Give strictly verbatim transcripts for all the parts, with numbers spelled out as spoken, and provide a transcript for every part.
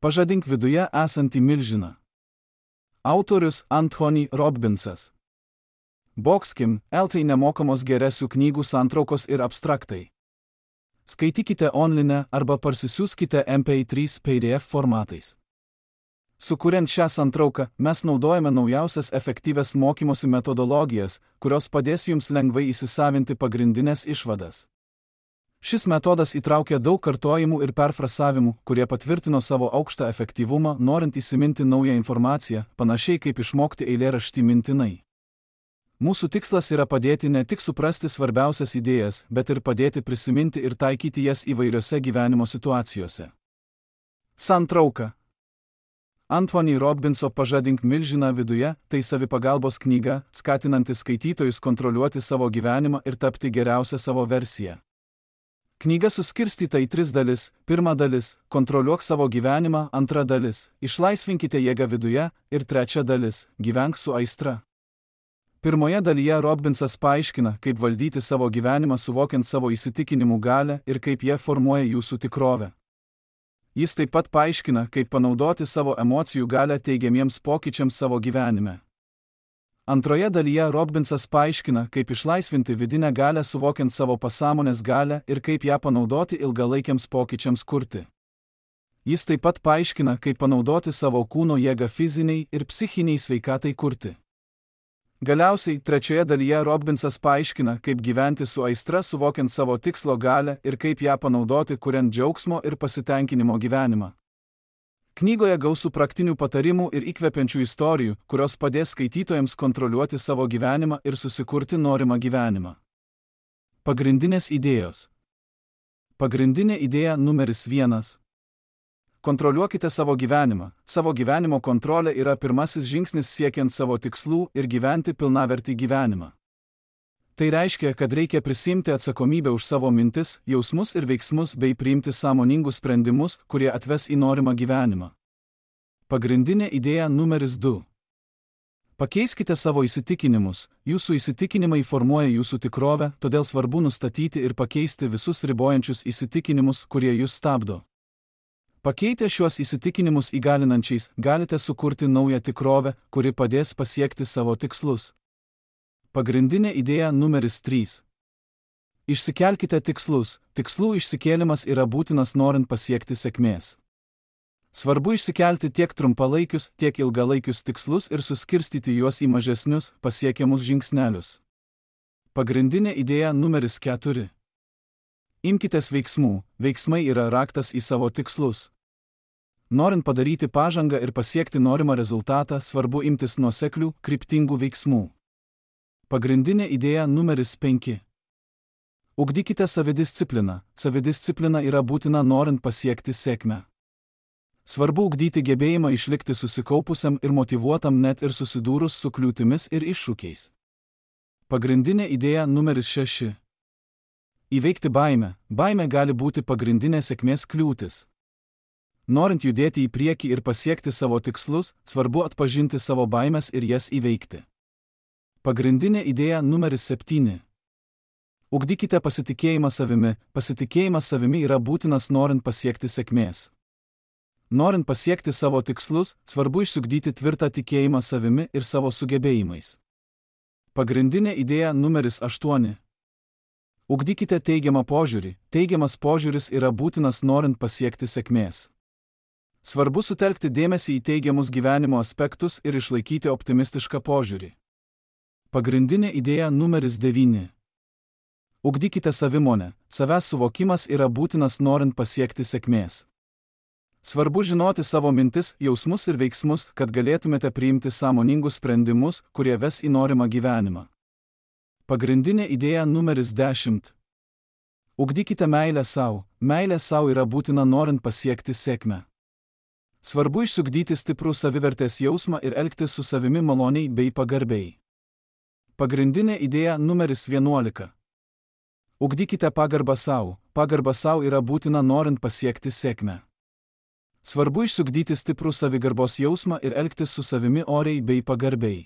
Pažadink viduje esantį milžiną. Autorius Anthony Robbinsas. Boxkim, eltai nemokamos geresių knygų santraukos ir abstraktai. Skaitykite online arba parsisiųskite M P trys P D F formatais. Sukuriant šią santrauką, mes naudojame naujausias efektyvias mokymosi metodologijas, kurios padės jums lengvai įsisavinti pagrindinės išvadas. Šis metodas įtraukia daug kartojimų ir perfrasavimų, kurie patvirtino savo aukštą efektyvumą, norint įsiminti naują informaciją, panašiai kaip išmokti eilėraštį mintinai. Mūsų tikslas yra padėti ne tik suprasti svarbiausias idėjas, bet ir padėti prisiminti ir taikyti jas įvairiose gyvenimo situacijose. Santrauka. Anthony Robbinso Pažadink milžiną viduje – tai savipagalbos knyga, skatinanti skaitytojus kontroliuoti savo gyvenimą ir tapti geriausią savo versiją. Knyga suskirstyta į tris dalis. Pirma dalis – kontroliuok savo gyvenimą, antra dalis – išlaisvinkite jėgą viduje ir trečia dalis – gyvenk su aistra. Pirmoje dalyje Robbinsas paaiškina, kaip valdyti savo gyvenimą suvokiant savo įsitikinimų galią ir kaip jie formuoja jūsų tikrovę. Jis taip pat paaiškina, kaip panaudoti savo emocijų galią teigiamiems pokyčiams savo gyvenime. Antroje dalyje Robbinsas paaiškina, kaip išlaisvinti vidinę galią suvokiant savo pasąmonės galią ir kaip ją panaudoti ilgalaikiams pokyčiams kurti. Jis taip pat paaiškina, kaip panaudoti savo kūno jėgą fiziniai ir psichiniai sveikatai kurti. Galiausiai, trečioje dalyje Robbinsas paaiškina, kaip gyventi su aistra suvokiant savo tikslo galią ir kaip ją panaudoti kuriant džiaugsmo ir pasitenkinimo gyvenimą. Knygoje gausu praktinių patarimų ir įkvepiančių istorijų, kurios padės skaitytojams kontroliuoti savo gyvenimą ir susikurti norimą gyvenimą. Pagrindinės idėjos. Pagrindinė idėja numeris vienas. Kontroliuokite savo gyvenimą. Savo gyvenimo kontrolė yra pirmasis žingsnis siekiant savo tikslų ir gyventi pilnavertį gyvenimą. Tai reiškia, kad reikia prisimti atsakomybę už savo mintis, jausmus ir veiksmus bei priimti sąmoningus sprendimus, kurie atves į norimą gyvenimą. Pagrindinė idėja numeris du. Pakeiskite savo įsitikinimus. Jūsų įsitikinimai formuoja jūsų tikrovę, todėl svarbu nustatyti ir pakeisti visus ribojančius įsitikinimus, kurie jūs stabdo. Pakeitę šiuos įsitikinimus įgalinančiais, galite sukurti naują tikrovę, kuri padės pasiekti savo tikslus. Pagrindinė idėja numeris trys. Išsikelkite tikslus. Tikslų išsikėlimas yra būtinas norint pasiekti sėkmės. Svarbu išsikelti tiek trumpalaikius, tiek ilgalaikius tikslus ir suskirstyti juos į mažesnius, pasiekiamus žingsnelius. Pagrindinė idėja numeris keturi. Imkitės veiksmų. Veiksmai yra raktas į savo tikslus. Norint padaryti pažangą ir pasiekti norimą rezultatą, svarbu imtis nuoseklių, kryptingų veiksmų. Pagrindinė idėja numeris penki. Ugdykite savidiscipliną. Savidisciplina yra būtina norint pasiekti sėkmę. Svarbu ugdyti gebėjimą išlikti susikaupusiam ir motyvuotam net ir susidūrus su kliūtimis ir iššūkiais. Pagrindinė idėja numeris šeši. Įveikti baimę. Baimė gali būti pagrindinė sėkmės kliūtis. Norint judėti į priekį ir pasiekti savo tikslus, svarbu atpažinti savo baimes ir jas įveikti. Pagrindinė idėja numeris septyni. Ugdykite pasitikėjimą savimi. Pasitikėjimas savimi yra būtinas norint pasiekti sėkmės. Norint pasiekti savo tikslus, svarbu išsiugdyti tvirtą tikėjimą savimi ir savo sugebėjimais. Pagrindinė idėja numeris aštuoni. Ugdykite teigiamą požiūrį. Teigiamas požiūris yra būtinas norint pasiekti sėkmės. Svarbu sutelkti dėmesį į teigiamus gyvenimo aspektus ir išlaikyti optimistišką požiūrį. Pagrindinė idėja numeris devyni. Ugdykite savimonę. Savęs suvokimas yra būtinas norint pasiekti sėkmės. Svarbu žinoti savo mintis, jausmus ir veiksmus, kad galėtumėte priimti sąmoningus sprendimus, kurie ves į norimą gyvenimą. Pagrindinė idėja numeris dešimt. Ugdykite meilę sau. Meilė sau yra būtina norint pasiekti sėkmę. Svarbu išsiugdyti stiprų savivertės jausmą ir elgtis su savimi maloniai bei pagarbiai. Pagrindinė idėja numeris vienuolika. Ugdykite pagarbą sau. Pagarba sau yra būtina norint pasiekti sėkmę. Svarbu išsiugdyti stiprų savigarbos jausmą ir elgtis su savimi oriai bei pagarbiai.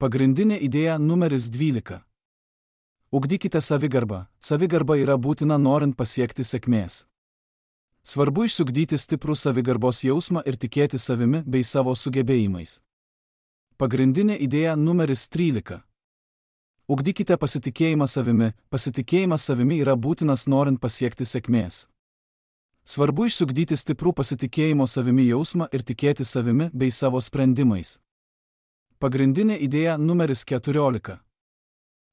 Pagrindinė idėja numeris dvylika. Ugdykite savigarbą. Savigarba yra būtina norint pasiekti sėkmės. Svarbu išsiugdyti stiprų savigarbos jausmą ir tikėti savimi bei savo sugebėjimais. Pagrindinė idėja numeris trylika. Ugdykite pasitikėjimą savimi. Pasitikėjimas savimi yra būtinas norint pasiekti sėkmės. Svarbu išsiugdyti stiprų pasitikėjimo savimi jausmą ir tikėti savimi bei savo sprendimais. Pagrindinė idėja numeris keturiolika.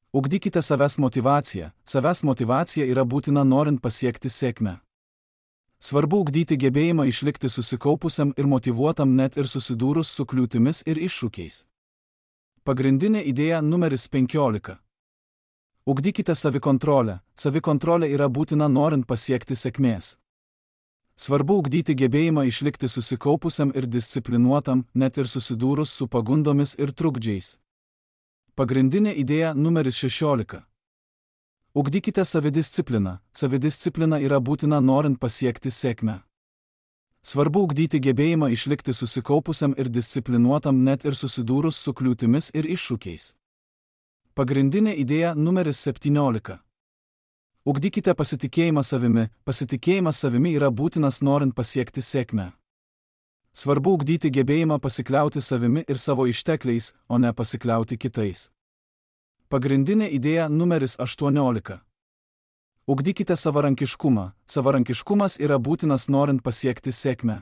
Ugdykite savęs motyvaciją. Savęs motyvacija yra būtina norint pasiekti sėkmę. Svarbu ugdyti gebėjimą išlikti susikaupusiam ir motyvuotam net ir susidūrus su kliūtimis ir iššūkiais. Pagrindinė idėja numeris penkiolika. Ugdykite savikontrolę. Savikontrolė yra būtina norint pasiekti sėkmės. Svarbu ugdyti gebėjimą išlikti susikaupusiam ir disciplinuotam, net ir susidūrus su pagundomis ir trukdžiais. Pagrindinė idėja numeris šešiolika. Ugdykite savidiscipliną. Savidisciplina yra būtina norint pasiekti sėkmę. Svarbu ugdyti gebėjimą išlikti susikaupusiam ir disciplinuotam net ir susidūrus su kliūtimis ir iššūkiais. Pagrindinė idėja numeris septyniolika. Ugdykite pasitikėjimą savimi. Pasitikėjimas savimi yra būtinas norint pasiekti sėkmę. Svarbu ugdyti gebėjimą pasikliauti savimi ir savo ištekliais, o ne pasikliauti kitais. Pagrindinė idėja numeris aštuoniolika. Ugdykite savarankiškumą. Savarankiškumas yra būtinas norint pasiekti sėkmę.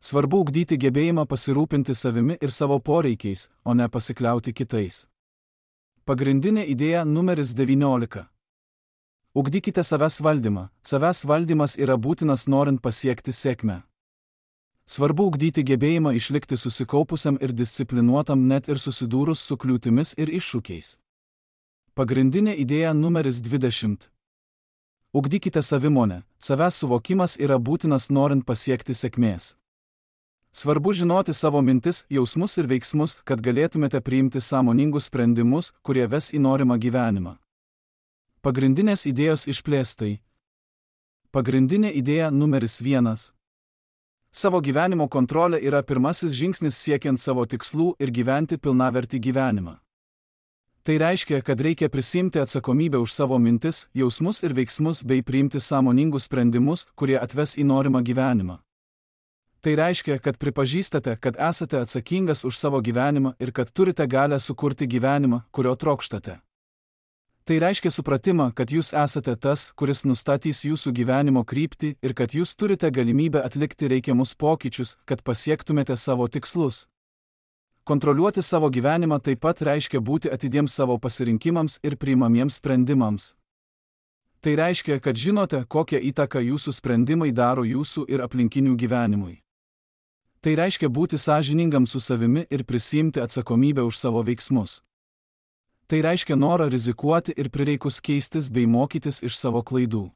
Svarbu ugdyti gebėjimą pasirūpinti savimi ir savo poreikiais, o ne pasikliauti kitais. Pagrindinė idėja numeris devyniolika. Ugdykite savęs valdymą. Savęs valdymas yra būtinas norint pasiekti sėkmę. Svarbu ugdyti gebėjimą išlikti susikaupusiam ir disciplinuotam net ir susidūrus su kliūtimis ir iššūkiais. Pagrindinė idėja numeris dvidešimt. Ugdykite savimonę. Savęs suvokimas yra būtinas norint pasiekti sėkmės. Svarbu žinoti savo mintis, jausmus ir veiksmus, kad galėtumėte priimti sąmoningus sprendimus, kurie ves į norimą gyvenimą. Pagrindinės idėjos išplėstai. Pagrindinė idėja numeris vienas. Savo gyvenimo kontrolė yra pirmasis žingsnis siekiant savo tikslų ir gyventi pilnavertį gyvenimą. Tai reiškia, kad reikia prisiimti atsakomybę už savo mintis, jausmus ir veiksmus bei priimti sąmoningus sprendimus, kurie atves į norimą gyvenimą. Tai reiškia, kad pripažįstate, kad esate atsakingas už savo gyvenimą ir kad turite galią sukurti gyvenimą, kurio trokštate. Tai reiškia supratimą, kad jūs esate tas, kuris nustatys jūsų gyvenimo kryptį ir kad jūs turite galimybę atlikti reikiamus pokyčius, kad pasiektumėte savo tikslus. Kontroliuoti savo gyvenimą taip pat reiškia būti atidiems savo pasirinkimams ir priimamiems sprendimams. Tai reiškia, kad žinote, kokią įtaką jūsų sprendimai daro jūsų ir aplinkinių gyvenimui. Tai reiškia būti sąžiningam su savimi ir prisiimti atsakomybę už savo veiksmus. Tai reiškia norą rizikuoti ir prireikus keistis bei mokytis iš savo klaidų.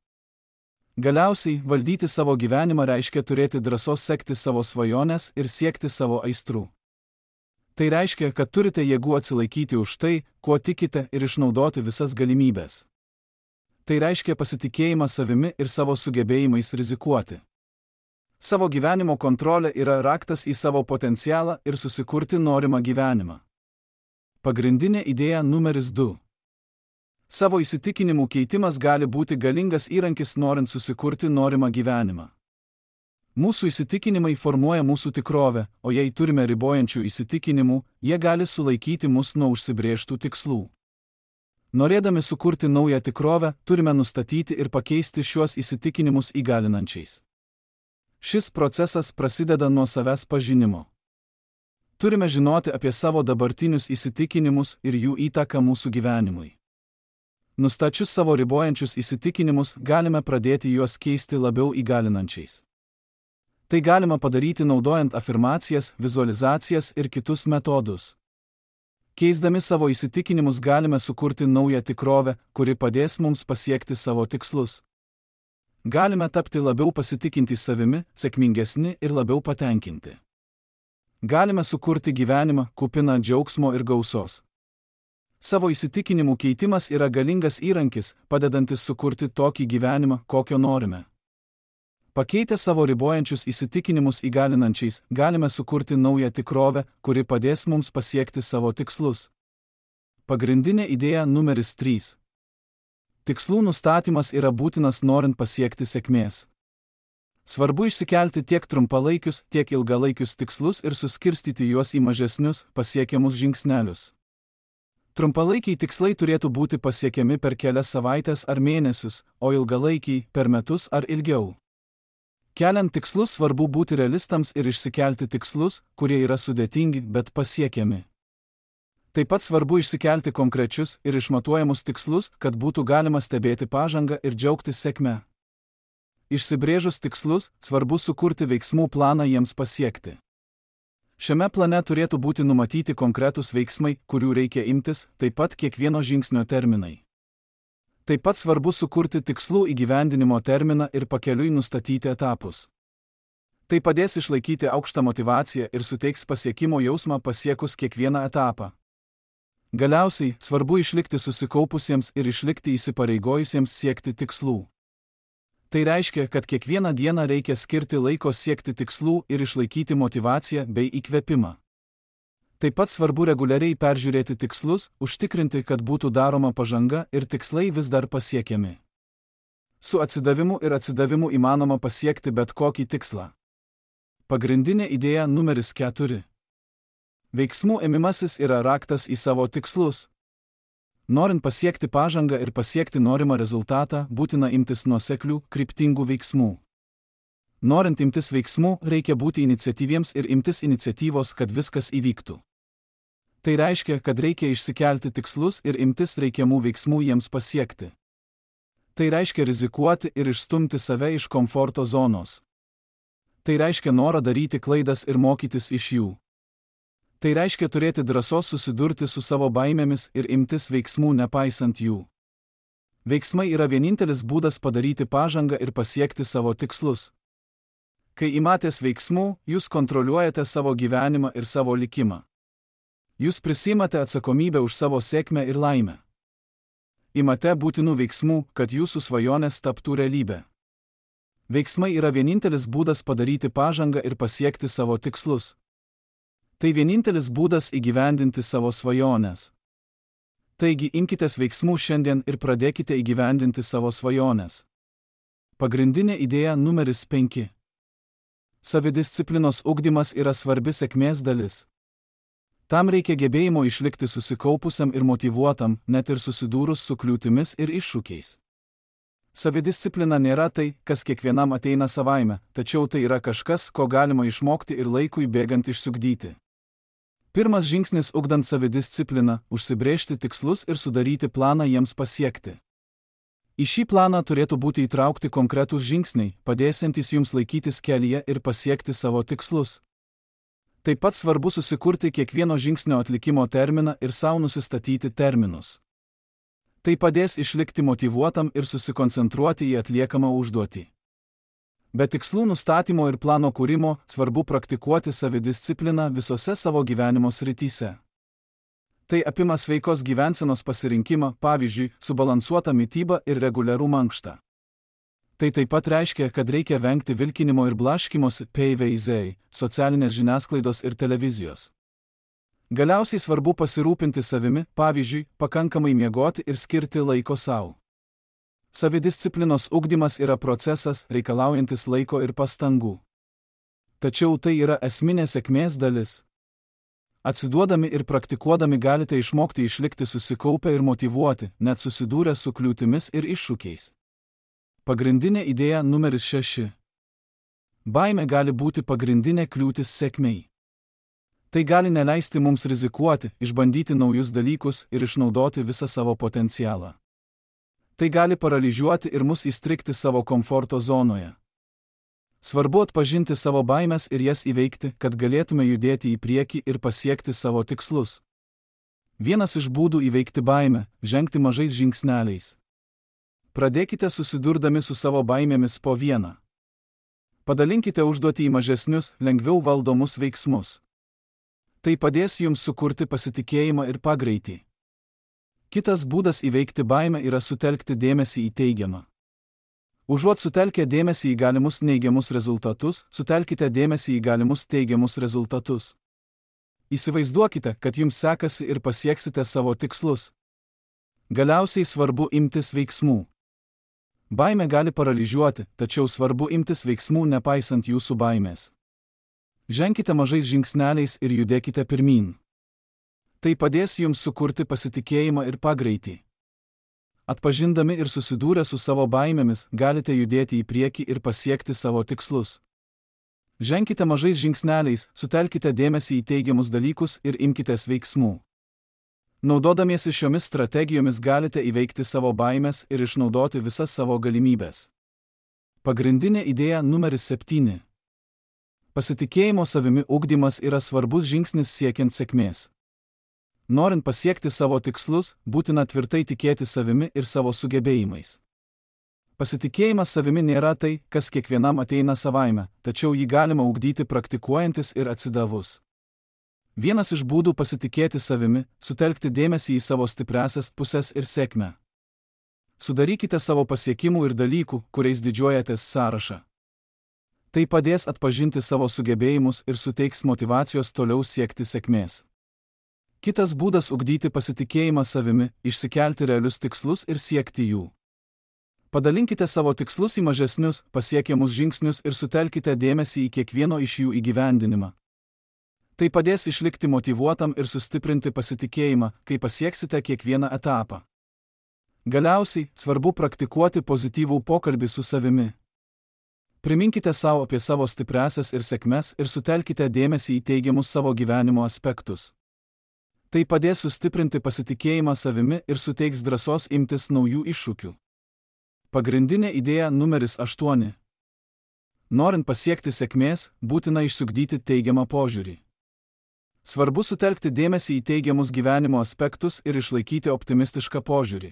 Galiausiai, valdyti savo gyvenimą reiškia turėti drąsos sekti savo svajones ir siekti savo aistrų. Tai reiškia, kad turite jėgų atsilaikyti už tai, kuo tikite ir išnaudoti visas galimybės. Tai reiškia pasitikėjimą savimi ir savo sugebėjimais rizikuoti. Savo gyvenimo kontrolė yra raktas į savo potencialą ir susikurti norimą gyvenimą. Pagrindinė idėja numeris du. Savo įsitikinimų keitimas gali būti galingas įrankis norint susikurti norimą gyvenimą. Mūsų įsitikinimai formuoja mūsų tikrovę, o jei turime ribojančių įsitikinimų, jie gali sulaikyti mus nuo užsibrėžtų tikslų. Norėdami sukurti naują tikrovę, turime nustatyti ir pakeisti šiuos įsitikinimus įgalinančiais. Šis procesas prasideda nuo savęs pažinimo. Turime žinoti apie savo dabartinius įsitikinimus ir jų įtaką mūsų gyvenimui. Nustačius savo ribojančius įsitikinimus, galime pradėti juos keisti labiau įgalinančiais. Tai galima padaryti naudojant afirmacijas, vizualizacijas ir kitus metodus. Keisdami savo įsitikinimus galime sukurti naują tikrovę, kuri padės mums pasiekti savo tikslus. Galime tapti labiau pasitikintys savimi, sėkmingesni ir labiau patenkinti. Galime sukurti gyvenimą, kupiną džiaugsmo ir gausos. Savo įsitikinimų keitimas yra galingas įrankis, padedantis sukurti tokį gyvenimą, kokio norime. Pakeitę savo ribojančius įsitikinimus įgalinančiais, galime sukurti naują tikrovę, kuri padės mums pasiekti savo tikslus. Pagrindinė idėja numeris trys. Tikslų nustatymas yra būtinas norint pasiekti sėkmės. Svarbu išsikelti tiek trumpalaikius, tiek ilgalaikius tikslus ir suskirstyti juos į mažesnius, pasiekiamus žingsnelius. Trumpalaikiai tikslai turėtų būti pasiekiami per kelias savaitės ar mėnesius, o ilgalaikiai per metus ar ilgiau. Keliant tikslus svarbu būti realistams ir išsikelti tikslus, kurie yra sudėtingi, bet pasiekiami. Taip pat svarbu išsikelti konkrečius ir išmatuojamus tikslus, kad būtų galima stebėti pažangą ir džiaugtis sėkme. Išsibrėžus tikslus, svarbu sukurti veiksmų planą jiems pasiekti. Šiame plane turėtų būti numatyti konkretūs veiksmai, kurių reikia imtis, taip pat kiekvieno žingsnio terminai. Taip pat svarbu sukurti tikslų įgyvendinimo terminą ir pakeliui nustatyti etapus. Tai padės išlaikyti aukštą motyvaciją ir suteiks pasiekimo jausmą pasiekus kiekvieną etapą. Galiausiai, svarbu išlikti susikaupusiems ir išlikti įsipareigojusiems siekti tikslų. Tai reiškia, kad kiekvieną dieną reikia skirti laiko siekti tikslų ir išlaikyti motyvaciją bei įkvėpimą. Taip pat svarbu reguliariai peržiūrėti tikslus, užtikrinti, kad būtų daroma pažanga ir tikslai vis dar pasiekiami. Su atsidavimu ir atsidavimu įmanoma pasiekti bet kokį tikslą. Pagrindinė idėja numeris keturi. Veiksmų ėmimasis yra raktas į savo tikslus. Norint pasiekti pažangą ir pasiekti norimą rezultatą, būtina imtis nuoseklių, kryptingų veiksmų. Norint imtis veiksmų, reikia būti iniciatyviems ir imtis iniciatyvos, kad viskas įvyktų. Tai reiškia, kad reikia išsikelti tikslus ir imtis reikiamų veiksmų jiems pasiekti. Tai reiškia rizikuoti ir išstumti save iš komforto zonos. Tai reiškia norą daryti klaidas ir mokytis iš jų. Tai reiškia turėti drąsos susidurti su savo baimėmis ir imtis veiksmų nepaisant jų. Veiksmai yra vienintelis būdas padaryti pažangą ir pasiekti savo tikslus. Kai imatės veiksmų, jūs kontroliuojate savo gyvenimą ir savo likimą. Jūs prisimate atsakomybę už savo sėkmę ir laimę. Imate būtinų veiksmų, kad jūsų svajonės taptų realybė. Veiksmai yra vienintelis būdas padaryti pažangą ir pasiekti savo tikslus. Tai vienintelis būdas įgyvendinti savo svajones. Taigi imkitės veiksmų šiandien ir pradėkite įgyvendinti savo svajones. Pagrindinė idėja numeris penki. Savidisciplinos ugdymas yra svarbi sėkmės dalis. Tam reikia gebėjimo išlikti susikaupusiam ir motyvuotam, net ir susidūrus su kliūtimis ir iššūkiais. Savidisciplina nėra tai, kas kiekvienam ateina savaime, tačiau tai yra kažkas, ko galima išmokti ir laikui bėgant išsiugdyti. Pirmas žingsnis ugdant savidiscipliną – užsibrėžti tikslus ir sudaryti planą jiems pasiekti. Į šį planą turėtų būti įtraukti konkretūs žingsniai, padėsiantys jums laikytis kelyje ir pasiekti savo tikslus. Taip pat svarbu susikurti kiekvieno žingsnio atlikimo terminą ir sau nusistatyti terminus. Tai padės išlikti motyvuotam ir susikoncentruoti į atliekamą užduotį. Be tikslų nustatymo ir plano kūrimo svarbu praktikuoti savidiscipliną visose savo gyvenimo srityse. Tai apima sveikos gyvensenos pasirinkimą, pavyzdžiui, subalansuotą mitybą ir reguliarų mankštą. Tai taip pat reiškia, kad reikia vengti vilkinimo ir blaškymosi, P V Z, socialinės žiniasklaidos ir televizijos. Galiausiai svarbu pasirūpinti savimi, pavyzdžiui, pakankamai miegoti ir skirti laiko sau. Savidisciplinos ugdymas yra procesas, reikalaujantis laiko ir pastangų. Tačiau tai yra esminė sėkmės dalis. Atsiduodami ir praktikuodami galite išmokti išlikti susikaupę ir motyvuoti, net susidūrę su kliūtimis ir iššūkiais. Pagrindinė idėja numeris šeši. Baimė gali būti pagrindinė kliūtis sėkmei. Tai gali neleisti mums rizikuoti, išbandyti naujus dalykus ir išnaudoti visą savo potencialą. Tai gali paralyžiuoti ir mus įstrigti savo komforto zonoje. Svarbu atpažinti savo baimės ir jas įveikti, kad galėtume judėti į priekį ir pasiekti savo tikslus. Vienas iš būdų įveikti baimę – žengti mažais žingsneliais. Pradėkite susidurdami su savo baimėmis po vieną. Padalinkite užduotį į mažesnius, lengviau valdomus veiksmus. Tai padės jums sukurti pasitikėjimą ir pagreitį. Kitas būdas įveikti baimę yra sutelkti dėmesį į teigiamą. Užuot sutelkę dėmesį į galimus neigiamus rezultatus, sutelkite dėmesį į galimus teigiamus rezultatus. Įsivaizduokite, kad jums sekasi ir pasieksite savo tikslus. Galiausiai svarbu imtis veiksmų. Baimė gali paralyžiuoti, tačiau svarbu imtis veiksmų nepaisant jūsų baimės. Ženkite mažais žingsneliais ir judėkite pirmyn. Tai padės jums sukurti pasitikėjimą ir pagreitį. Atpažindami ir susidūrę su savo baimėmis, galite judėti į priekį ir pasiekti savo tikslus. Ženkite mažais žingsneliais, sutelkite dėmesį į teigiamus dalykus ir imkitės veiksmų. Naudodamiesi šiomis strategijomis galite įveikti savo baimės ir išnaudoti visas savo galimybės. Pagrindinė idėja numeris septyni. Pasitikėjimo savimi ugdymas yra svarbus žingsnis siekiant sėkmės. Norint pasiekti savo tikslus, būtina tvirtai tikėti savimi ir savo sugebėjimais. Pasitikėjimas savimi nėra tai, kas kiekvienam ateina savaime, tačiau jį galima ugdyti praktikuojantis ir atsidavus. Vienas iš būdų pasitikėti savimi – sutelkti dėmesį į savo stipriąsias pusės ir sėkmę. Sudarykite savo pasiekimų ir dalykų, kuriais didžiuojatės sąrašą. Tai padės atpažinti savo sugebėjimus ir suteiks motyvacijos toliau siekti sėkmės. Kitas būdas ugdyti pasitikėjimą savimi – išsikelti realius tikslus ir siekti jų. Padalinkite savo tikslus į mažesnius, pasiekiamus žingsnius ir sutelkite dėmesį į kiekvieno iš jų įgyvendinimą. Tai padės išlikti motyvuotam ir sustiprinti pasitikėjimą, kai pasieksite kiekvieną etapą. Galiausiai, svarbu praktikuoti pozityvų pokalbį su savimi. Priminkite savo apie savo stipriąsias ir sėkmes ir sutelkite dėmesį į teigiamus savo gyvenimo aspektus. Tai padės sustiprinti pasitikėjimą savimi ir suteiks drąsos imtis naujų iššūkių. Pagrindinė idėja numeris aštuoni. Norint pasiekti sėkmės, būtina išsiugdyti teigiamą požiūrį. Svarbu sutelkti dėmesį į teigiamus gyvenimo aspektus ir išlaikyti optimistišką požiūrį.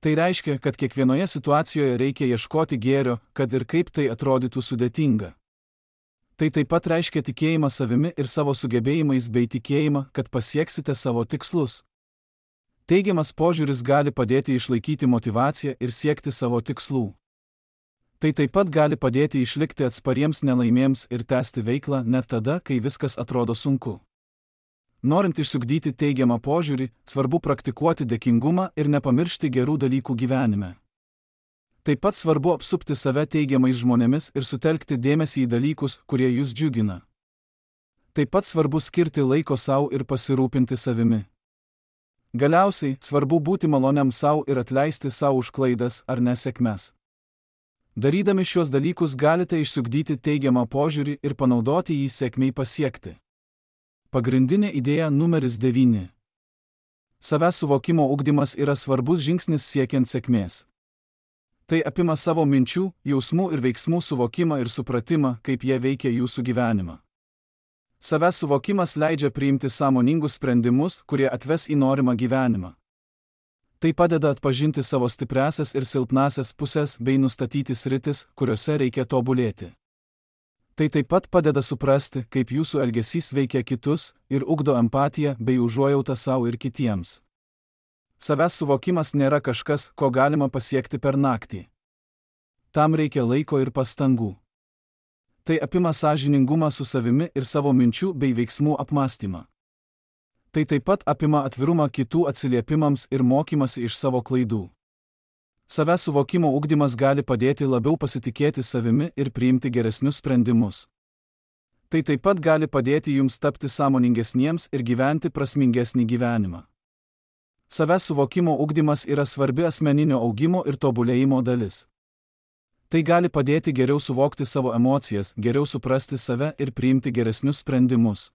Tai reiškia, kad kiekvienoje situacijoje reikia ieškoti gėrio, kad ir kaip tai atrodytų sudėtinga. Tai taip pat reiškia tikėjimą savimi ir savo sugebėjimais bei tikėjimą, kad pasieksite savo tikslus. Teigiamas požiūris gali padėti išlaikyti motyvaciją ir siekti savo tikslų. Tai taip pat gali padėti išlikti atspariems nelaimėms ir tęsti veiklą net tada, kai viskas atrodo sunku. Norint išsiugdyti teigiamą požiūrį, svarbu praktikuoti dėkingumą ir nepamiršti gerų dalykų gyvenime. Taip pat svarbu apsupti save teigiamais žmonėmis ir sutelkti dėmesį į dalykus, kurie jūs džiugina. Taip pat svarbu skirti laiko sau ir pasirūpinti savimi. Galiausiai, svarbu būti maloniam sau ir atleisti sau už klaidas ar nesėkmes. Darydami šios dalykus galite išsiugdyti teigiamą požiūrį ir panaudoti jį sėkmei pasiekti. Pagrindinė idėja numeris devyni. Savęs suvokimo ugdymas yra svarbus žingsnis siekiant sėkmės. Tai apima savo minčių, jausmų ir veiksmų suvokimą ir supratimą, kaip jie veikia jūsų gyvenimą. Savęs suvokimas leidžia priimti sąmoningus sprendimus, kurie atves į norimą gyvenimą. Tai padeda atpažinti savo stipriąsias ir silpnąsias pusės bei nustatyti sritis, kuriuose reikia tobulėti. Tai taip pat padeda suprasti, kaip jūsų elgesys veikia kitus ir ugdo empatiją bei užuojautą sau ir kitiems. Savęs suvokimas nėra kažkas, ko galima pasiekti per naktį. Tam reikia laiko ir pastangų. Tai apima sąžiningumą su savimi ir savo minčių bei veiksmų apmąstymą. Tai taip pat apima atvirumą kitų atsiliepimams ir mokymasi iš savo klaidų. Savęs suvokimo ugdymas gali padėti labiau pasitikėti savimi ir priimti geresnius sprendimus. Tai taip pat gali padėti jums tapti sąmoningesniems ir gyventi prasmingesnį gyvenimą. Savęs suvokimo ugdymas yra svarbi asmeninio augimo ir tobulėjimo dalis. Tai gali padėti geriau suvokti savo emocijas, geriau suprasti save ir priimti geresnius sprendimus.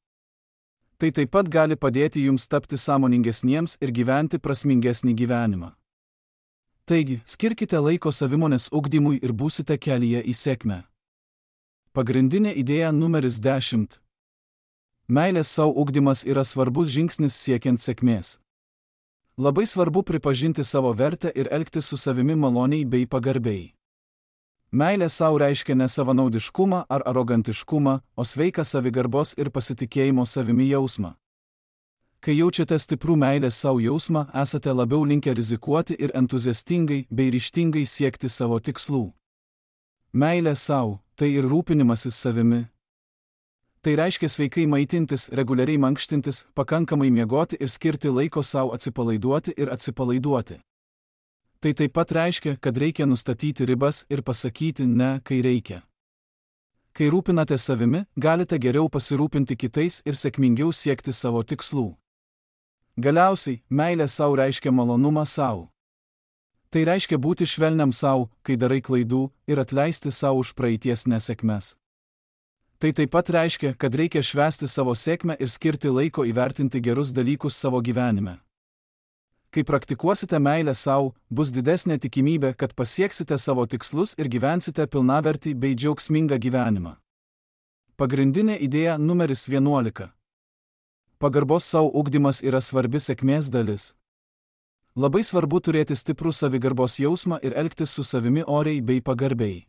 Tai taip pat gali padėti jums tapti sąmoningesniems ir gyventi prasmingesnį gyvenimą. Taigi, skirkite laiko savimonės ugdymui ir būsite kelyje į sėkmę. Pagrindinė idėja numeris dešimt. Meilės sau ugdymas yra svarbus žingsnis siekiant sėkmės. Labai svarbu pripažinti savo vertę ir elgtis su savimi maloniai bei pagarbiai. Meilė sau reiškia ne savanaudiškumą ar arogantiškumą, o sveiką savigarbos ir pasitikėjimo savimi jausmą. Kai jaučiate stiprų meilės sau jausmą, esate labiau linkę rizikuoti ir entuziastingai bei ryžtingai siekti savo tikslų. Meilė sau – tai ir rūpinimasis savimi. Tai reiškia sveikai maitintis, reguliariai mankštintis, pakankamai miegoti ir skirti laiko sau atsipalaiduoti ir atsipalaiduoti. Tai taip pat reiškia, kad reikia nustatyti ribas ir pasakyti ne, kai reikia. Kai rūpinate savimi, galite geriau pasirūpinti kitais ir sėkmingiau siekti savo tikslų. Galiausiai, meilė sau reiškia malonumą sau. Tai reiškia būti švelniam sau, kai darai klaidų, ir atleisti sau už praeities nesėkmes. Tai taip pat reiškia, kad reikia švęsti savo sėkmę ir skirti laiko įvertinti gerus dalykus savo gyvenime. Kai praktikuosite meilę sau, bus didesnė tikimybė, kad pasieksite savo tikslus ir gyvensite pilnavertį bei džiaugsmingą gyvenimą. Pagrindinė idėja numeris vienuolika. Pagarbos sau ugdymas yra svarbi sėkmės dalis. Labai svarbu turėti stiprų savigarbos jausmą ir elgtis su savimi oriai bei pagarbiai.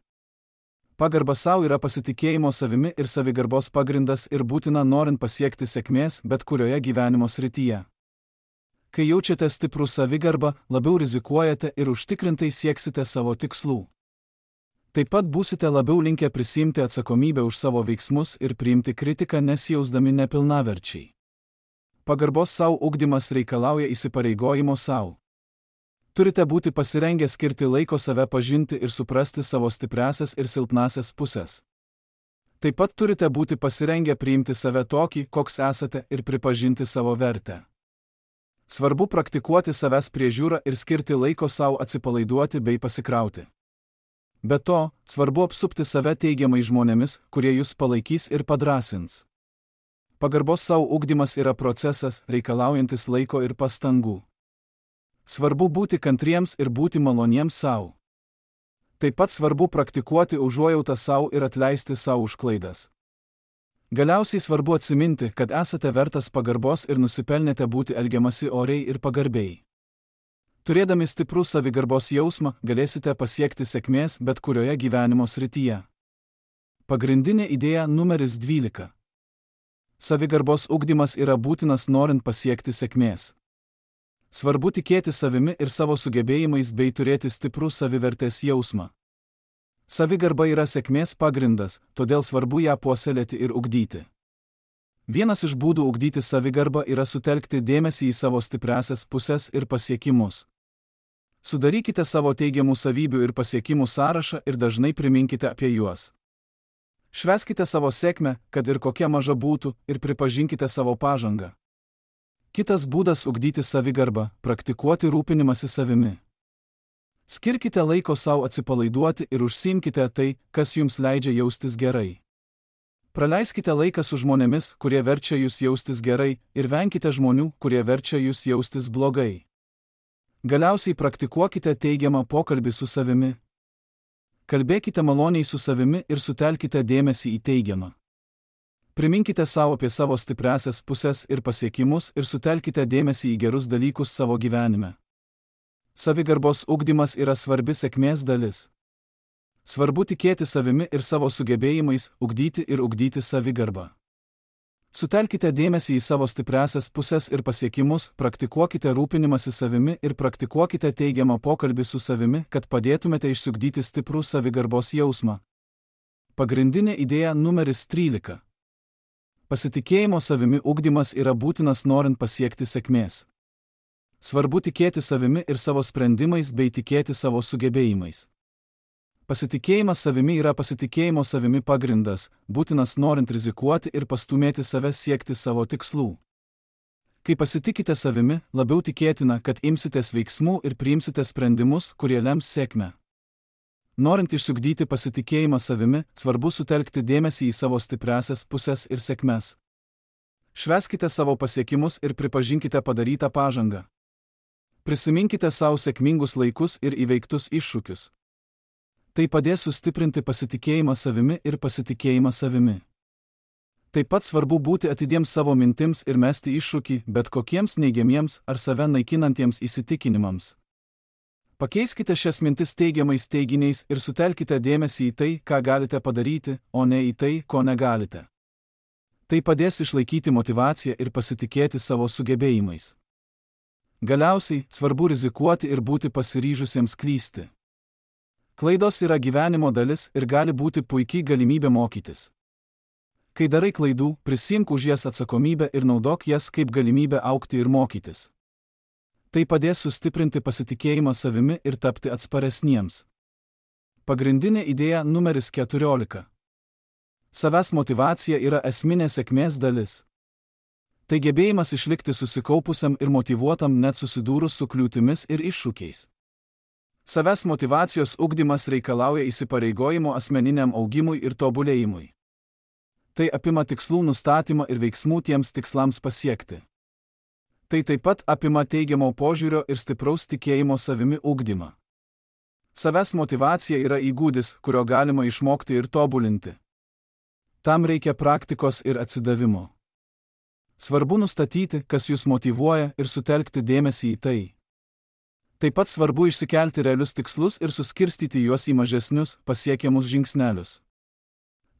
Pagarba sau yra pasitikėjimo savimi ir savigarbos pagrindas ir būtina norint pasiekti sėkmės bet kurioje gyvenimo srityje. Kai jaučiate stiprų savigarbą, labiau rizikuojate ir užtikrintai sieksite savo tikslų. Taip pat būsite labiau linkę prisiimti atsakomybę už savo veiksmus ir priimti kritiką nesijausdami nepilnaverčiai. Pagarbos sau ugdymas reikalauja įsipareigojimo sau. Turite būti pasirengę skirti laiko save pažinti ir suprasti savo stipriasias ir silpnasias pusės. Taip pat turite būti pasirengę priimti save tokį, koks esate ir pripažinti savo vertę. Svarbu praktikuoti savęs priežiūrą ir skirti laiko sau atsipalaiduoti bei pasikrauti. Be to, svarbu apsupti save teigiamai žmonėmis, kurie jūs palaikys ir padrąsins. Pagarbos sau ugdymas yra procesas, reikalaujantis laiko ir pastangų. Svarbu būti kantriems ir būti maloniems sau. Taip pat svarbu praktikuoti užuojautą sau ir atleisti sau už klaidas. Galiausiai svarbu atsiminti, kad esate vertas pagarbos ir nusipelnėte būti elgiamasi oriai ir pagarbiai. Turėdami stiprų savigarbos jausmą, galėsite pasiekti sėkmės bet kurioje gyvenimo srityje. Pagrindinė idėja numeris dvylika. Savigarbos ugdymas yra būtinas norint pasiekti sėkmės. Svarbu tikėti savimi ir savo sugebėjimais bei turėti stiprų savivertės jausmą. Savigarba yra sėkmės pagrindas, todėl svarbu ją puoselėti ir ugdyti. Vienas iš būdų ugdyti savigarbą yra sutelkti dėmesį į savo stipriasias pusės ir pasiekimus. Sudarykite savo teigiamų savybių ir pasiekimų sąrašą ir dažnai priminkite apie juos. Švęskite savo sėkmę, kad ir kokia maža būtų, ir pripažinkite savo pažangą. Kitas būdas ugdyti savigarbą – praktikuoti rūpinimąsi savimi. Skirkite laiko sau atsipalaiduoti ir užsiimkite tai, kas jums leidžia jaustis gerai. Praleiskite laiką su žmonėmis, kurie verčia jūs jaustis gerai, ir venkite žmonių, kurie verčia jūs jaustis blogai. Galiausiai praktikuokite teigiamą pokalbį su savimi. Kalbėkite maloniai su savimi ir sutelkite dėmesį į teigiamą. Priminkite savo apie savo stipriasias pusės ir pasiekimus ir sutelkite dėmesį į gerus dalykus savo gyvenime. Savigarbos ugdymas yra svarbi sėkmės dalis. Svarbu tikėti savimi ir savo sugebėjimais, ugdyti ir ugdyti savigarbą. Sutelkite dėmesį į savo stipriasias pusės ir pasiekimus, praktikuokite rūpinimąsi savimi ir praktikuokite teigiamą pokalbį su savimi, kad padėtumėte išsiugdyti stiprų savigarbos jausmą. Pagrindinė idėja numeris trylika. Pasitikėjimo savimi ugdymas yra būtinas norint pasiekti sėkmės. Svarbu tikėti savimi ir savo sprendimais bei tikėti savo sugebėjimais. Pasitikėjimas savimi yra pasitikėjimo savimi pagrindas, būtinas norint rizikuoti ir pastumėti save siekti savo tikslų. Kai pasitikite savimi, labiau tikėtina, kad imsitės veiksmų ir priimsite sprendimus, kurie lems sėkmę. Norint išsiugdyti pasitikėjimą savimi, svarbu sutelkti dėmesį į savo stipriasias pusės ir sėkmes. Švęskite savo pasiekimus ir pripažinkite padarytą pažangą. Prisiminkite savo sėkmingus laikus ir įveiktus iššūkius. Tai padės sustiprinti pasitikėjimą savimi ir pasitikėjimą savimi. Taip pat svarbu būti atidiems savo mintims ir mesti iššūkį bet kokiems neigiamiems ar save naikinantiems įsitikinimams. Pakeiskite šias mintis teigiamais teiginiais ir sutelkite dėmesį į tai, ką galite padaryti, o ne į tai, ko negalite. Tai padės išlaikyti motyvaciją ir pasitikėti savo sugebėjimais. Galiausiai, svarbu rizikuoti ir būti pasiryžusiems klysti. Klaidos yra gyvenimo dalis ir gali būti puikiai galimybė mokytis. Kai darai klaidų, prisiimk už jas atsakomybę ir naudok jas kaip galimybę augti ir mokytis. Tai padės sustiprinti pasitikėjimą savimi ir tapti atsparesniems. Pagrindinė idėja numeris keturiolika. Savęs motyvacija yra esminė sėkmės dalis. Tai gebėjimas išlikti susikaupusiam ir motyvuotam net susidūrus su kliūtimis ir iššūkiais. Savęs motyvacijos ugdymas reikalauja įsipareigojimo asmeniniam augimui ir tobulėjimui. Tai apima tikslų nustatymą ir veiksmų tiems tikslams pasiekti. Tai taip pat apima teigiamo požiūrio ir stipraus tikėjimo savimi ugdymą. Savęs motyvacija yra įgūdis, kurio galima išmokti ir tobulinti. Tam reikia praktikos ir atsidavimo. Svarbu nustatyti, kas jūs motyvuoja ir sutelkti dėmesį į tai. Taip pat svarbu išsikelti realius tikslus ir suskirstyti juos į mažesnius, pasiekiamus žingsnelius.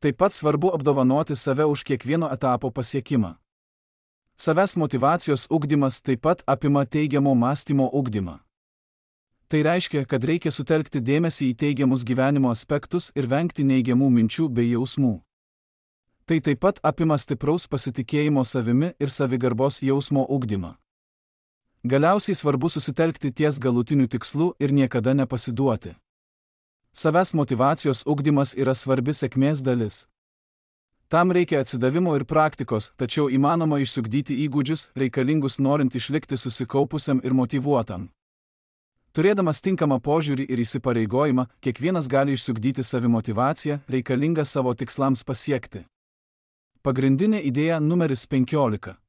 Taip pat svarbu apdovanoti save už kiekvieno etapo pasiekimą. Savęs motyvacijos ugdymas taip pat apima teigiamo mąstymo ugdymą. Tai reiškia, kad reikia sutelkti dėmesį į teigiamus gyvenimo aspektus ir vengti neigiamų minčių bei jausmų. Tai taip pat apima stipraus pasitikėjimo savimi ir savigarbos jausmo ugdymą. Galiausiai svarbu susitelkti ties galutiniu tikslu ir niekada nepasiduoti. Savęs motyvacijos ugdymas yra svarbi sėkmės dalis. Tam reikia atsidavimo ir praktikos, tačiau įmanoma išsiugdyti įgūdžius, reikalingus norint išlikti susikaupusiam ir motyvuotam. Turėdamas tinkamą požiūrį ir įsipareigojimą, kiekvienas gali išsiugdyti savimotyvaciją, reikalingą savo tikslams pasiekti. Pagrindinė idėja numeris penkiolika.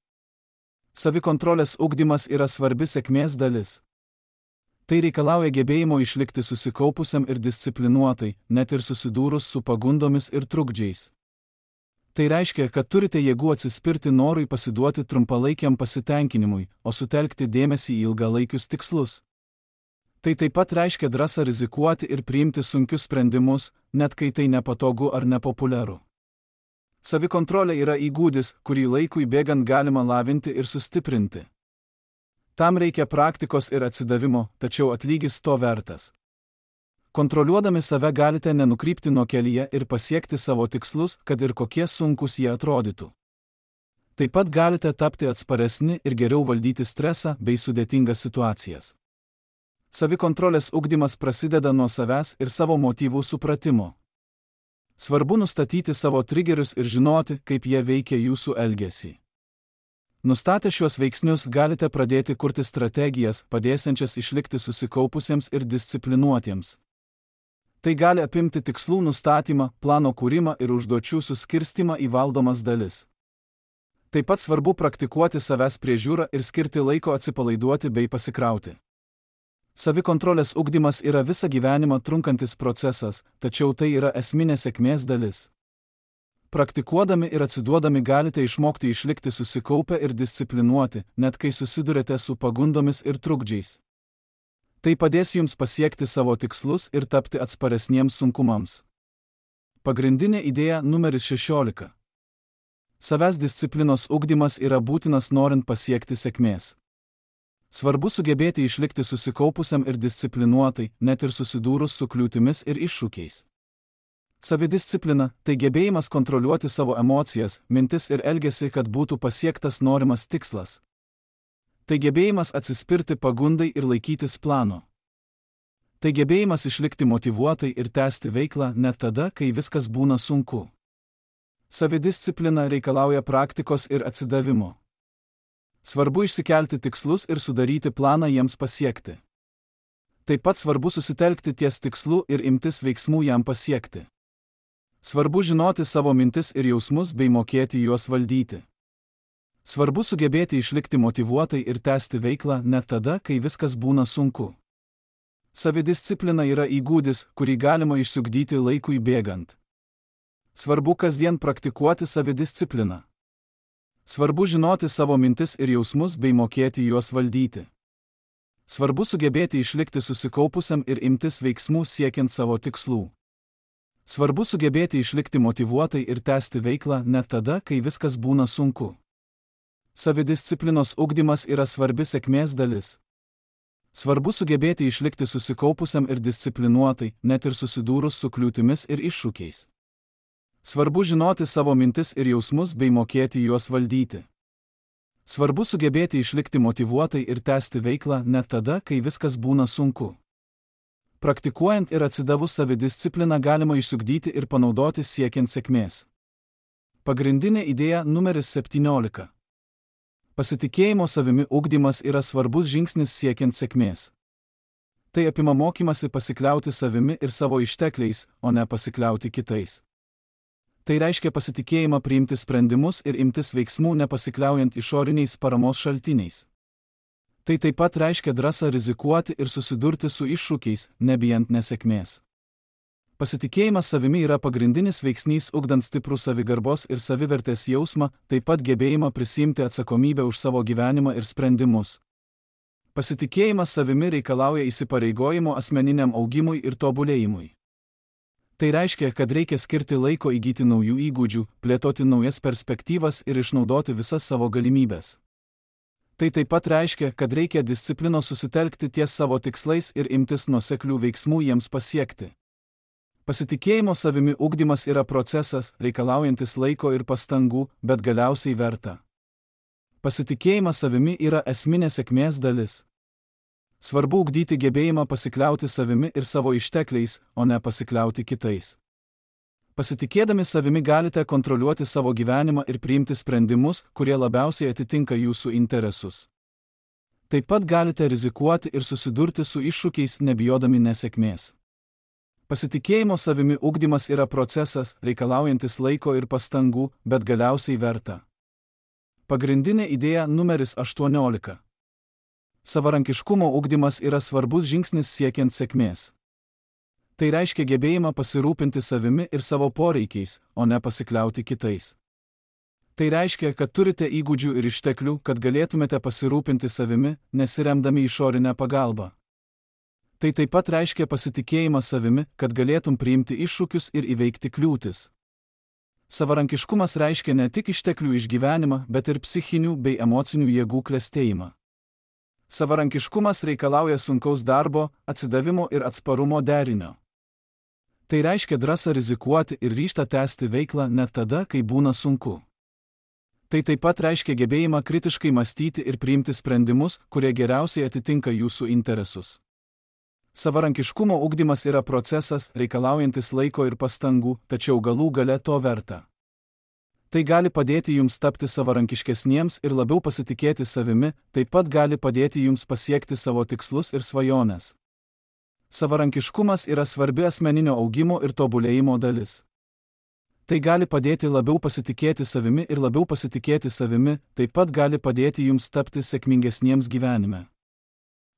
Savikontrolės ugdymas yra svarbi sėkmės dalis. Tai reikalauja gebėjimo išlikti susikaupusiam ir disciplinuotai, net ir susidūrus su pagundomis ir trukdžiais. Tai reiškia, kad turite jėgų atsispirti norui pasiduoti trumpalaikiam pasitenkinimui, o sutelkti dėmesį į ilgalaikius tikslus. Tai taip pat reiškia drąsą rizikuoti ir priimti sunkius sprendimus, net kai tai nepatogu ar nepopuliaru. Savikontrolė yra įgūdis, kurį laikui bėgant galima lavinti ir sustiprinti. Tam reikia praktikos ir atsidavimo, tačiau atlygis to vertas. Kontroliuodami save galite nenukrypti nuo kelyje ir pasiekti savo tikslus, kad ir kokie sunkus jie atrodytų. Taip pat galite tapti atsparesni ir geriau valdyti stresą bei sudėtingas situacijas. Savikontrolės ugdymas prasideda nuo savęs ir savo motyvų supratimo. Svarbu nustatyti savo trigerius ir žinoti, kaip jie veikia jūsų elgesį. Nustatę šiuos veiksnius galite pradėti kurti strategijas, padėsiančias išlikti susikaupusiems ir disciplinuotiems. Tai gali apimti tikslų nustatymą, plano kūrimą ir užduočių suskirstimą į valdomas dalis. Taip pat svarbu praktikuoti savęs priežiūrą ir skirti laiko atsipalaiduoti bei pasikrauti. Savikontrolės ugdymas yra visą gyvenimą trunkantis procesas, tačiau tai yra esminė sėkmės dalis. Praktikuodami ir atsiduodami galite išmokti išlikti susikaupę ir disciplinuoti, net kai susidurite su pagundomis ir trukdžiais. Tai padės jums pasiekti savo tikslus ir tapti atsparesniems sunkumams. Pagrindinė idėja numeris šešiolika. Savęs disciplinos ugdymas yra būtinas norint pasiekti sėkmės. Svarbu sugebėti išlikti susikaupusiam ir disciplinuotai, net ir susidūrus su kliūtimis ir iššūkiais. Savidisciplina – tai gebėjimas kontroliuoti savo emocijas, mintis ir elgesį, kad būtų pasiektas norimas tikslas. Tai gebėjimas atsispirti pagundai ir laikytis plano. Tai gebėjimas išlikti motyvuotai ir tęsti veiklą net tada, kai viskas būna sunku. Savidisciplina reikalauja praktikos ir atsidavimo. Svarbu išsikelti tikslus ir sudaryti planą jiems pasiekti. Taip pat svarbu susitelkti ties tikslu ir imtis veiksmų jam pasiekti. Svarbu žinoti savo mintis ir jausmus bei mokėti juos valdyti. Svarbu sugebėti išlikti motyvuotai ir tęsti veiklą net tada, kai viskas būna sunku. Savidisciplina yra įgūdis, kurį galima išsiugdyti laikui bėgant. Svarbu kasdien praktikuoti savidiscipliną. Svarbu žinoti savo mintis ir jausmus bei mokėti juos valdyti. Svarbu sugebėti išlikti susikaupusiam ir imtis veiksmų siekiant savo tikslų. Svarbu sugebėti išlikti motyvuotai ir tęsti veiklą net tada, kai viskas būna sunku. Savidisciplinos ugdymas yra svarbi sėkmės dalis. Svarbu sugebėti išlikti susikaupusiam ir disciplinuotai, net ir susidūrus su kliūtimis ir iššūkiais. Svarbu žinoti savo mintis ir jausmus bei mokėti juos valdyti. Svarbu sugebėti išlikti motyvuotai ir tęsti veiklą net tada, kai viskas būna sunku. Praktikuojant ir atsidavus savidiscipliną galima išsiugdyti ir panaudoti siekiant sėkmės. Pagrindinė idėja numeris septyniolika. Pasitikėjimo savimi ugdymas yra svarbus žingsnis siekiant sėkmės. Tai apima mokymasi pasikliauti savimi ir savo ištekliais, o ne pasikliauti kitais. Tai reiškia pasitikėjimą priimti sprendimus ir imtis veiksmų nepasikliaujant išoriniais paramos šaltiniais. Tai taip pat reiškia drąsą rizikuoti ir susidurti su iššūkiais, nebijant nesėkmės. Pasitikėjimas savimi yra pagrindinis veiksnys ugdant stiprų savigarbos ir savivertės jausmą, taip pat gebėjimą prisiimti atsakomybę už savo gyvenimą ir sprendimus. Pasitikėjimas savimi reikalauja įsipareigojimo asmeniniam augimui ir tobulėjimui. Tai reiškia, kad reikia skirti laiko įgyti naujų įgūdžių, plėtoti naujas perspektyvas ir išnaudoti visas savo galimybės. Tai taip pat reiškia, kad reikia disciplinos susitelkti ties savo tikslais ir imtis nuoseklių veiksmų jiems pasiekti. Pasitikėjimo savimi ugdymas yra procesas, reikalaujantis laiko ir pastangų, bet galiausiai verta. Pasitikėjimas savimi yra esminė sėkmės dalis. Svarbu ugdyti gebėjimą pasikliauti savimi ir savo ištekliais, o ne pasikliauti kitais. Pasitikėdami savimi galite kontroliuoti savo gyvenimą ir priimti sprendimus, kurie labiausiai atitinka jūsų interesus. Taip pat galite rizikuoti ir susidurti su iššūkiais, nebijodami nesėkmės. Pasitikėjimo savimi ugdymas yra procesas, reikalaujantis laiko ir pastangų, bet galiausiai verta. Pagrindinė idėja numeris aštuoniolika. Savarankiškumo ugdymas yra svarbus žingsnis siekiant sėkmės. Tai reiškia gebėjimą pasirūpinti savimi ir savo poreikiais, o ne pasikliauti kitais. Tai reiškia, kad turite įgūdžių ir išteklių, kad galėtumėte pasirūpinti savimi, nesiremdami išorinę pagalbą. Tai taip pat reiškia pasitikėjimą savimi, kad galėtum priimti iššūkius ir įveikti kliūtis. Savarankiškumas reiškia ne tik išteklių išgyvenimą, bet ir psichinių bei emocinių jėgų klestėjimą. Savarankiškumas reikalauja sunkaus darbo, atsidavimo ir atsparumo derinio. Tai reiškia drąsą rizikuoti ir ryžtą tęsti veiklą net tada, kai būna sunku. Tai taip pat reiškia gebėjimą kritiškai mąstyti ir priimti sprendimus, kurie geriausiai atitinka jūsų interesus. Savarankiškumo ugdymas yra procesas, reikalaujantis laiko ir pastangų, tačiau galų gale to verta. Tai gali padėti jums tapti savarankiškesniems ir labiau pasitikėti savimi, taip pat gali padėti jums pasiekti savo tikslus ir svajones. Savarankiškumas yra svarbi asmeninio augimo ir tobulėjimo dalis. Tai gali padėti labiau pasitikėti savimi ir labiau pasitikėti savimi, taip pat gali padėti jums tapti sėkmingesniems gyvenime.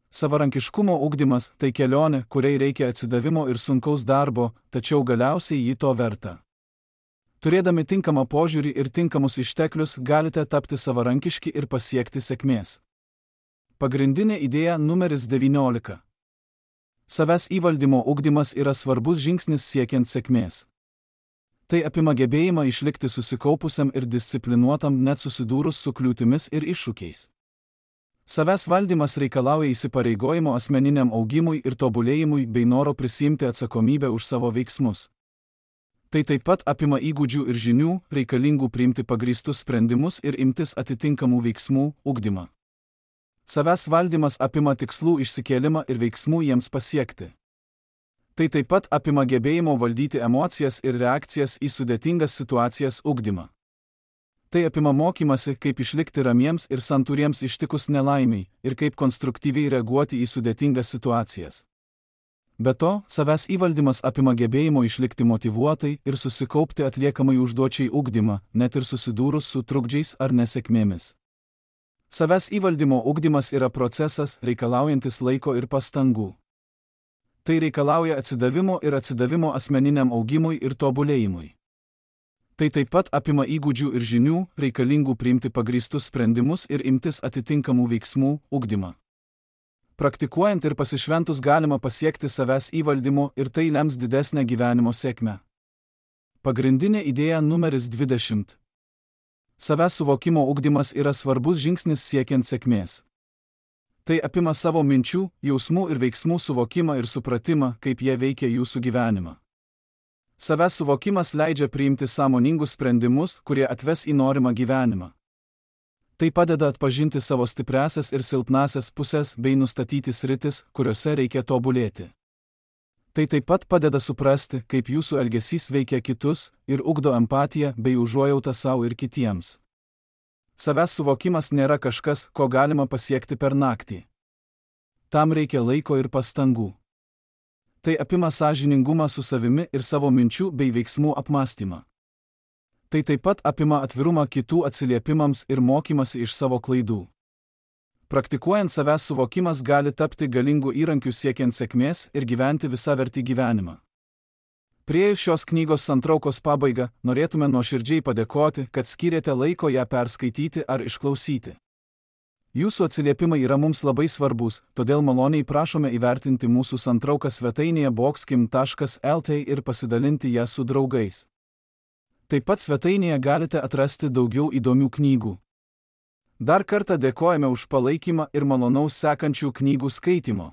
Savarankiškumo ugdymas – tai kelionė, kuriai reikia atsidavimo ir sunkaus darbo, tačiau galiausiai ji to verta. Turėdami tinkamą požiūrį ir tinkamus išteklius galite tapti savarankiški ir pasiekti sėkmės. Pagrindinė idėja numeris devyniolika. Savęs įvaldymo ugdymas yra svarbus žingsnis siekiant sėkmės. Tai apima gebėjimą išlikti susikaupusiam ir disciplinuotam net susidūrus su kliūtimis ir iššūkiais. Savęs valdymas reikalauja įsipareigojimo asmeniniam augimui ir tobulėjimui bei noro prisiimti atsakomybę už savo veiksmus. Tai taip pat apima įgūdžių ir žinių, reikalingų priimti pagrįstus sprendimus ir imtis atitinkamų veiksmų, ugdymą. Savęs valdymas apima tikslų išsikėlimą ir veiksmų jiems pasiekti. Tai taip pat apima gebėjimo valdyti emocijas ir reakcijas į sudėtingas situacijas ugdymą. Tai apima mokymasi, kaip išlikti ramiems ir santūriems ištikus nelaimiai ir kaip konstruktyviai reaguoti į sudėtingas situacijas. Be to, savęs įvaldymas apima gebėjimo išlikti motyvuotai ir susikaupti atliekamai užduočiai ugdymą, net ir susidūrus su trukdžiais ar nesėkmėmis. Savęs įvaldymo ugdymas yra procesas, reikalaujantis laiko ir pastangų. Tai reikalauja atsidavimo ir atsidavimo asmeniniam augimui ir tobulėjimui. Tai taip pat apima įgūdžių ir žinių, reikalingų priimti pagrįstus sprendimus ir imtis atitinkamų veiksmų, ugdymą. Praktikuojant ir pasišventus galima pasiekti savęs įvaldymo ir tai lems didesnę gyvenimo sėkmę. Pagrindinė idėja numeris dvidešimt. Savęs suvokimo ugdymas yra svarbus žingsnis siekiant sėkmės. Tai apima savo minčių, jausmų ir veiksmų suvokimą ir supratimą, kaip jie veikia jūsų gyvenimą. Savęs suvokimas leidžia priimti sąmoningus sprendimus, kurie atves į norimą gyvenimą. Tai padeda atpažinti savo stipriasias ir silpnasias pusės bei nustatyti sritis, kuriuose reikia tobulėti. Tai taip pat padeda suprasti, kaip jūsų elgesys veikia kitus ir ugdo empatiją bei užuojautą savo ir kitiems. Savęs suvokimas nėra kažkas, ko galima pasiekti per naktį. Tam reikia laiko ir pastangų. Tai apima sąžiningumą su savimi ir savo minčių bei veiksmų apmąstymą. Tai taip pat apima atvirumą kitų atsiliepimams ir mokymasi iš savo klaidų. Praktikuojant savęs suvokimas gali tapti galingų įrankių siekiant sėkmės ir gyventi visavertį gyvenimą. Priėjus šios knygos santraukos pabaigą, norėtume nuoširdžiai padėkoti, kad skyrėte laiko ją perskaityti ar išklausyti. Jūsų atsiliepimai yra mums labai svarbus, todėl maloniai prašome įvertinti mūsų santrauką svetainėje boxkim taškas lt ir pasidalinti ją su draugais. Taip pat svetainėje galite atrasti daugiau įdomių knygų. Dar kartą dėkojame už palaikymą ir malonaus sekančių knygų skaitymo.